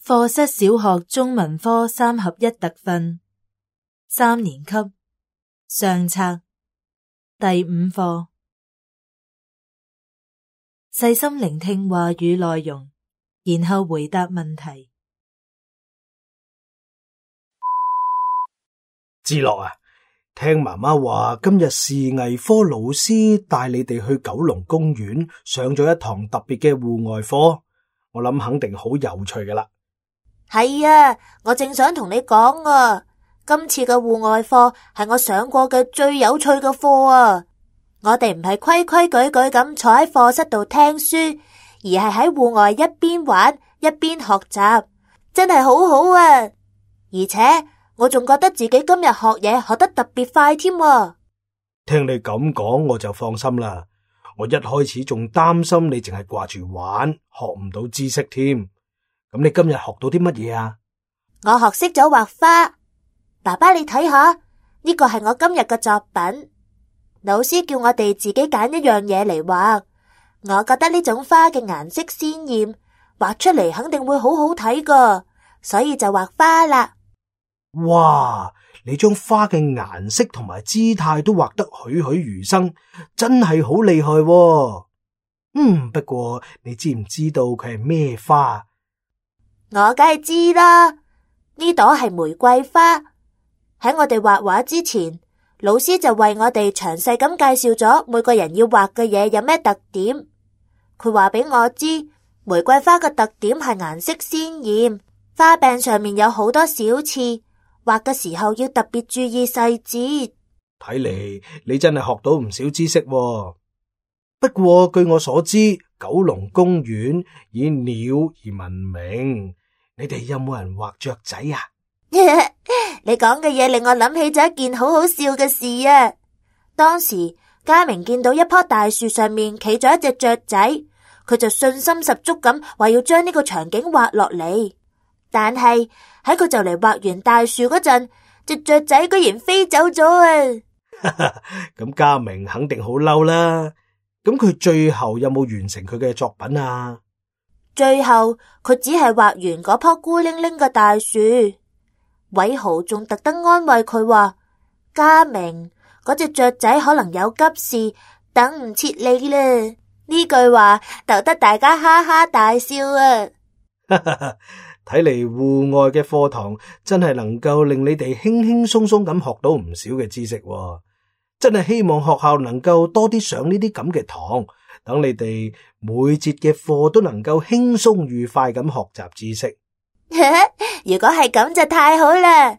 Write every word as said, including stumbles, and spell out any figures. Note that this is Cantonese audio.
課室小學中文科三合一特訓，三年級上冊第五課，細心聆聽話語內容，然後回答問題。志樂啊，聽媽媽話今日視藝科老師帶你哋去九龍公園上咗一堂特別嘅戶外課，我諗肯定好有趣㗎喇。係啊，我正想同你講啊，今次嘅戶外課係我上過嘅最有趣嘅課啊！我哋唔係規規矩矩咁坐喺課室度聽書，而係喺戶外一邊玩一邊學習，真係好好啊！而且我仲覺得自己今日學嘢學得特別快添啊！聽你咁講，我就放心啦。我一開始仲擔心你淨係掛住玩，學唔到知識添。咁你今日學到啲乜嘢啊？我學識咗畫花，爸爸你睇下，呢個係我今日嘅作品。老師叫我哋自己揀一樣嘢嚟畫，我覺得呢種花嘅顏色鮮艷，畫出嚟肯定會好好睇㗎，所以就畫花啦。哇！你將花嘅顏色同埋姿態都畫得栩栩如生，真係好厲害喎。嗯，不過你知唔知道佢係咩花？我梗係知啦，呢朵係玫瑰花。喺我哋畫畫之前，老師就為我哋詳細咁介紹咗每個人要畫嘅嘢有咩特點。佢話俾我知，玫瑰花嘅特點係顏色鮮艷，花柄上面有好多小刺，畫嘅時候要特別注意細節。睇嚟你真係學到唔少知識喎。不過據我所知，九龍公園以鳥而聞名，你哋有冇人畫雀仔啊？你講嘅嘢令我諗起咗一件好好笑嘅事啊！當時嘉明見到一棵大樹上面企咗一隻雀仔，佢就信心十足咁話要將呢個場景畫落嚟。但係喺佢就嚟畫完大樹嗰陣，隻雀仔居然飛走咗啊！咁嘉明肯定好嬲啦。咁佢最後有冇完成佢嘅作品啊？最後佢只係畫完嗰棵孤零零嘅大樹。偉豪仲特登安慰佢話：嘉明，嗰隻雀仔可能有急事，等唔切你啦。呢句話逗得大家哈哈大笑啊！睇嚟戶外嘅課堂真係能夠令你哋輕輕鬆鬆咁學到唔少嘅知識喎。真係希望學校能夠多啲上呢啲咁嘅堂，等你哋每節嘅課都能夠輕鬆愉快咁學習知識。如果係咁就太好啦！